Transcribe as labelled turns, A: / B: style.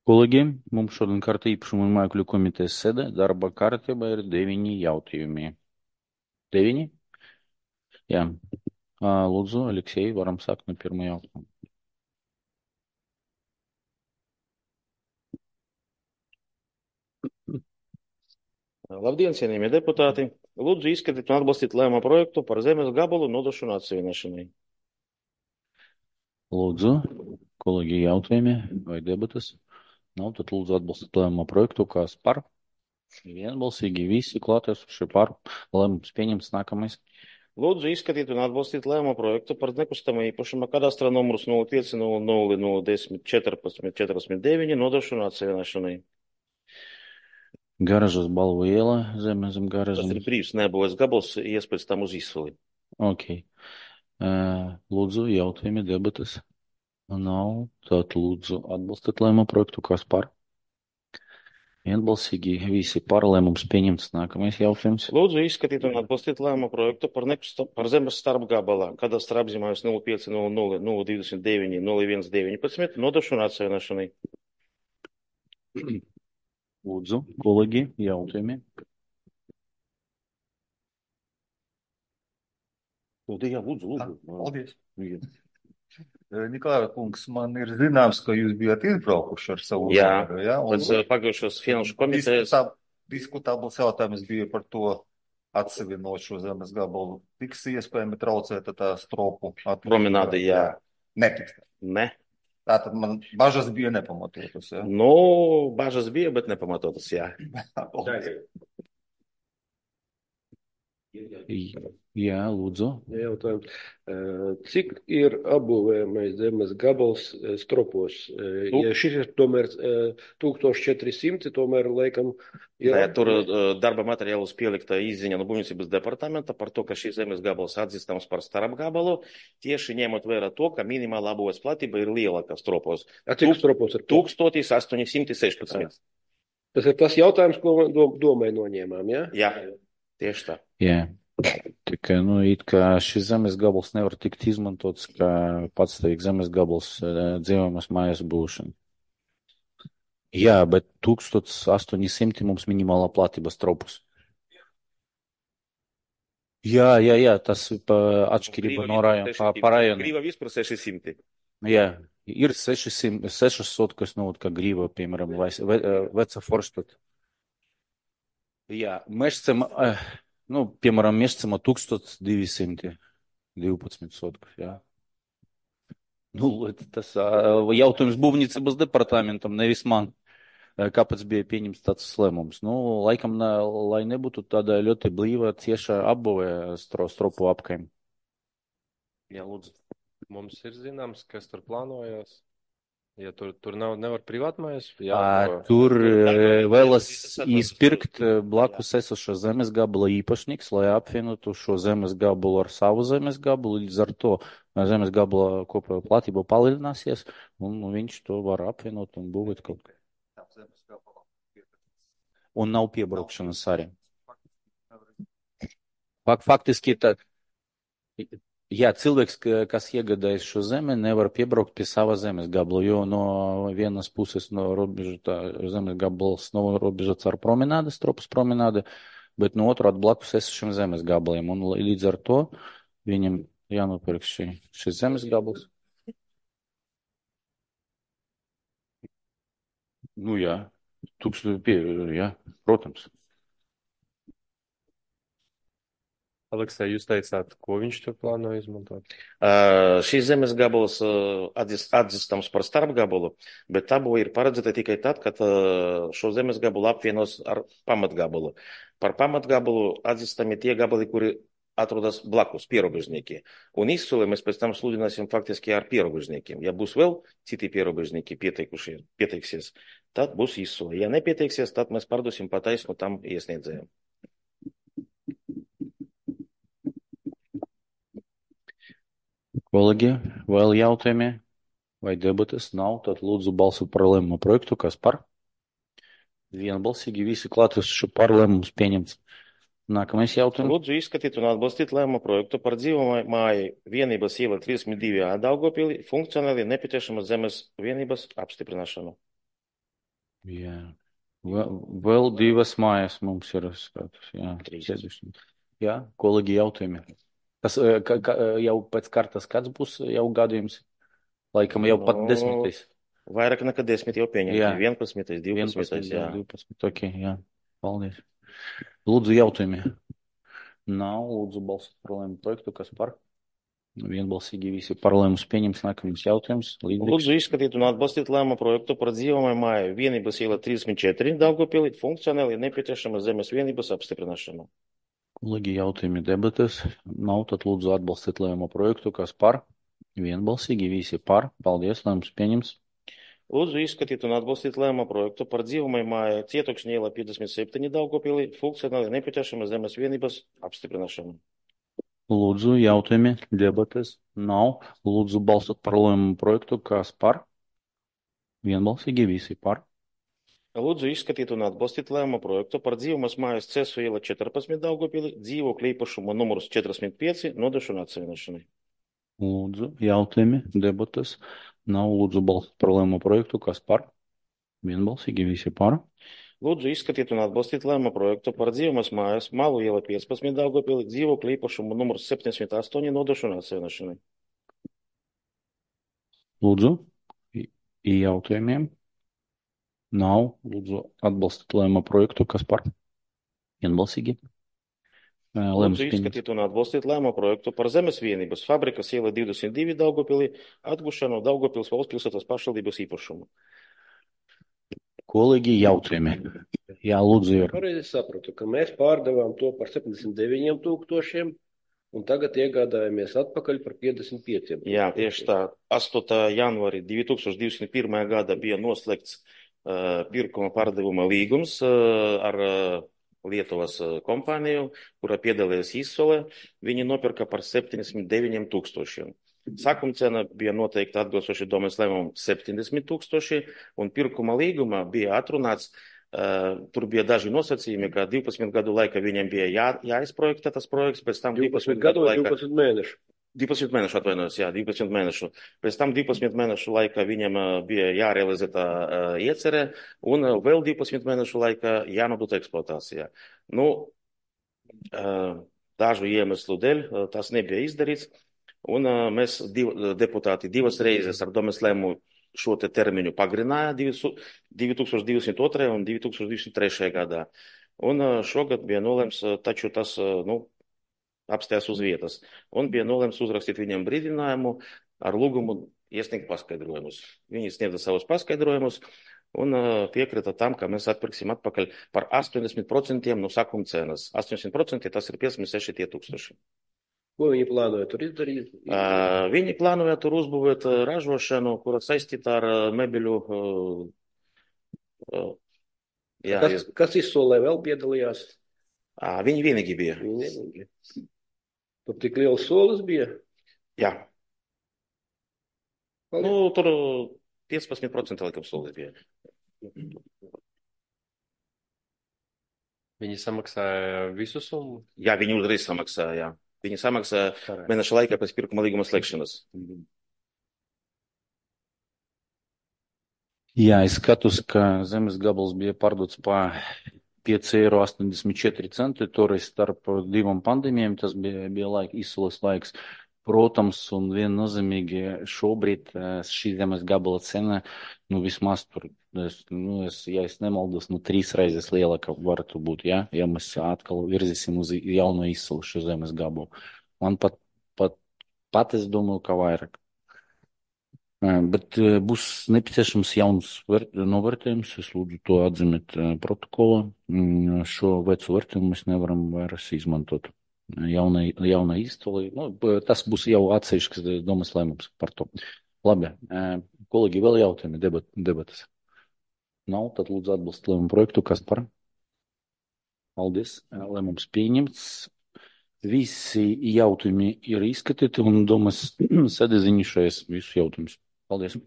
A: Kolēģi, mums šodien kārta īpašuma un mākļu komitejas sēde. Darba kārtībā ir 9 jautājumi. 9? Jā. Lūdzu, Aleksej, varam sākt no pirmā jautājuma.
B: Labdien, cienījamie deputāti! Lūdzu izskatīt un atbalstīt lēmuma projektu par zemes gabalu nodošanu atsevienošanai.
A: Lūdzu, kolēģi, jautājumi vai debatas? Nav, tad lūdzu atbalstīt lēmuma projektu, kas par. Vienbalsīgi visi klātesošie par. Lēmums pieņemts nākamais.
B: Lūdzu izskatīt un atbalstīt lēmuma projektu par nekustamā īpašuma kadastra numurus 0500101449 nodošanu atsevienošanai.
A: Garažas Balvu iela, zem
B: Tas
A: garažas.
B: ir brīvs nebūs gabals, iespēc tam uz izsoli.
A: Ok. Lūdzu, jautājumi, debatas? Nav, tad lūdzu atbalstīt lēmuma projektu, kas par. Vienbalsīgi visi par. Lēmums pieņemts. Nākamais jautājums.
B: Lūdzu izskatīt un atbalstīt lēmuma projektu par zemes starpgabalā kadastra apzīmējums 0500029019 nodošanu atsevienošanai.
A: Lūdzu, kolēģi, jautājumi.
B: Jā, lūdzu.
C: Paldies.
B: Jā.
C: Nikolai kungs, man ir zināms, ka jūs bijat izbraukuši ar savu uzvaru, ja?
B: Pēc pagājušās finanšu komitejas.
C: Diskutabls jautājums bija par to atsevienot šo zemes gabalu. Tiks iespējami traucēt tā stropu attīstību?
B: Promenāde, jā.
C: Netiks.
B: Ne.
C: Tātad man bažas bija nepamatotas, ja?
B: Nu, bažas bija, bet nepamatotas, jā.
C: Paldies.
A: Jā, lūdzu.
D: Jautājums. Cik ir apbūvējamais zemes gabals stropos? Ja šis ir tomēr 1400, tomēr laikam ir...
B: Nē, tur darba materiālus pielikta izziņa no būvniecības departamenta par to, ka šis zemes gabals atzīstams par starpgabalu, tieši ņemot vērā to, ka minimāla apbūves platība ir lielāka stropos.
D: Cik stropos ir?
B: 1816.
D: Tas ir tas jautājums, ko domai noņēmām, ja?
B: Jā, tieši tā.
A: Jā. Tikai, it kā šis zemes gabals nevar tikt izmantots kā patstāvīgs zemes gabals dzīvojamas mājas būšana. Jā, bet 1800 mums minimālā platība stropus. Jā, tas atšķirība no rajona, pa rajonu.
B: Grīva vispār 600.
A: Jā, ir 600, kas, kā grīva, piemēram, vai veca Forštata. Jā, Mešcem, piemēram, Mešcema 1212 sotkas, jā. Tas jautājums būvniecības departamentam, nevis man, kāpēc bija pieņemts tāds lēmums. Laikam, lai nebūtu tāda ļoti blīva cieša apbūve stropu apkaim.
E: Jā, lūdzu. Mums ir zināms, kas tur plānojas. Ja tur nevar privātmājas,
A: tur vēlas izpirkt blakus esošo zemes gabala īpašnieks, lai apvienotu šo zemes gabalu ar savu zemes gabalu. Līdz ar to zemes gabala kopējā platība palielināsies, un viņš to var apvienot un būvēt kaut kā. Un nav piebraukšanas arī. Faktiski tā. Jā, cilvēks, kas iegādājas šo zemi, nevar piebraukt pie sava zemes gabala, jo no vienas puses no robeža zemes gabals nav robežots ar promenādi, stropas promenādi, bet no otru blakus esošiem zemes gabaliem. Un līdz ar to viņam jānopirk šis zemes gabals. Jā, 1500, jā, protams.
E: Aleksej, jūs teicāt, ko viņš tur plāno izmantot?
B: Šīs zemes gabals atzīstams par starpgabalu, bet tabula ir paredzēta tikai tad, kad šo zemes gabalu apvienos ar pamatgabalu. Par pamatgabalu atzīstami tie gabali, kuri atrodas blakus pierobežnieki. Un izsoli mēs pēc tam sludināsim faktiski ar pierobežniekiem. Ja būs vēl citi pierobežnieki pieteiksies, tad būs izsoli. Ja nepieteiksies, tad mēs pārdosim pa taisnu tam iesniedzējiem.
A: Kolēģi, vēl jautājumi vai debates nav, tad lūdzu balsot par lēmumu projektu, kas par. Vienbalsīgi visi klātesoši par. Lēmums pieņemts. Nākamais jautājums.
B: Lūdzu izskatīt un atbalstīt lēmumu projektu par dzīvojamāju vienības iela 32 Daugavpilī funkcionāli nepieciešamas zemes vienības apstiprināšanu.
A: Jā. Vēl divas mājas mums ir skatus. Jā,
B: Trīs.
A: sēduši. Jā, kolēģi jautājumi. Tas jau pēc kartas kāds būs jau gadījums? Laikam jau pat 10.
B: Vairāk nekā 10 jau pieņemti.
A: Jā.
B: 11, 12,
A: 11,
B: jā.
A: 12. Ok, jā. Paldies. Lūdzu jautājumi. Nav, lūdzu balsot par lēmumu projektu, kas par? Vienbalsīgi visi par lēmumus pieņems nākamais jautājums.
B: Lūdzu izskatīt un atbalstīt lēmumu projektu par dzīvojamajām māju vienības iela 34 Daugavpilī funkcionāli nepieciešama zemes vienības apstiprināšana.
A: Kolēģi jautājumi debates. Nav, tad lūdzu atbalstīt lēmumu projektu, kas par? Vienbalsīgi visi par. Paldies, lēmums pieņems.
B: Lūdzu izskatīt un atbalstīt lēmumu projektu par dzīvojamajām māju Cietokšņa iela 57 Daugavpilī funkcionāli nepieciešama zemes vienības apstiprināšana.
A: Lūdzu, jautājumi, debates nav. Lūdzu, balsot par lēmumu projektu, kas par? Vienbalsīgi visi par.
B: Lūdzu izskatīt un atbalstīt lēmumu projektu par dzīvojamas mājas Cesu iela 14 Daugavpilī dzīvokļu īpašumu numurs 45 nodošanu atsevišķi.
A: Lūdzu, jautājumi, debates nav. Lūdzu, balsot par lēmumu projektu, kas par? Vienbalsīgi visi par.
B: Lūdzu izskatīt un atbalstīt lēmumu projektu par dzīvojamas mājas Malu iela 15 Daugavpilī dzīvokļu īpašumu numurs 78 nodošanu atsevišķi.
A: Lūdzu, jautājumiem nav. Lūdzu, atbalstīt lēmumu projektu, kas par? Vienbalsīgi.
B: Lūdzu izskatīt un atbalstīt lēmumu projektu par zemes vienības fabrikas iela 22 Daugavpilī atgušanu Daugavpils valsts pilsētas pašvaldības īpašumu.
A: Kolēģi jautājumi. Jā, lūdzu, ir.
D: Pareizi sapratu, ka mēs pārdevām to par 79 000 un tagad iegādājamies atpakaļ par 55 000.
B: Jā, tieši tā. 8. janvārī 2021. gada bija noslēgts pirkuma pārdevuma līgums ar Lietuvas kompāniju, kura piedalījās izsolē. Viņi nopirka par 79 000. Sākuma cena bija noteikti atbilstoši domes lēmumam 70 000, un pirkuma līgumā bija atrunāts, tur bija daži nosacījumi, ka 12 gadu laikā viņiem bija jāizprojektē tas projekts, pēc tam
D: 12 gadu vai 12 mēnešu?
B: 12 mēnešu atvainojos, jā, 12 mēnešu. Pēc tam 12 mēnešu laikā viņam bija jārealizē tā iecerē, un vēl 12 mēnešu laikā jānodot eksploatācijā. Nu, dažu iemeslu dēļ tas nebija izdarīts. Un mēs deputāti divas reizes ar domes lēmumu šo te termiņu pagarināja 2022. un 2023. gadā. Un šogad bija nolēms, taču tas apstājās uz vietas. Un bija nolēms uzrakstīt viņiem brīdinājumu ar lūgumu iesniegt paskaidrojumus. Viņi sniedza savus paskaidrojumus un piekrita tam, ka mēs atpirksim atpakaļ par 80% no sākuma cenas. 80% tas ir 56 000.
D: Ko viņi plānoja tur izdarīt?
B: Viņi plānoja tur uzbūvēt ražošanu, kura saistīta ar mēbeļu.
D: Kas izsolē vēl piedalījās?
B: Viņi vienīgi bija.
D: Tur tik liels solis bija?
B: Jā.
D: Paldies.
B: Nu, tur 15% laikam solis bija.
E: Viņi samaksāja visu summu?
B: Jā, viņi uzreiz samaksāja, jā. Viņi samaksāja mēneša laikā pēc pirkuma līguma slēgšanas.
A: Jā, es skatos, ka zemes gabals bija pārdots pa 5,84 eiro. Toreiz starp divām pandēmijām tas bija izsoles laiks. Protams, un viennozīmīgi šobrīd šī zemes gabala cena, vismaz tur, ja es nemaldos, 3 reizes lielāka varētu būt, ja mēs atkal virzīsim uz jauno izsolu šo zemes gabalu. Man pat es domāju, ka vairāk. Bet būs nepieciešams jauns novērtējums, es lūdzu to atzīmēt protokolā. Šo vecu vērtējumu mēs nevaram vairs izmantot. Jauna izsole, tas būs jau atsevišķs domas lēmums par to. Labi, kolēģi, vēl jautājumi, debatas? Nav, tad lūdzu atbalstīt lēmumu projektu, kas par? Paldies, lēmums pieņemts. Visi jautājumi ir izskatīti un domas sēde ziņošais visus jautājumus. Paldies.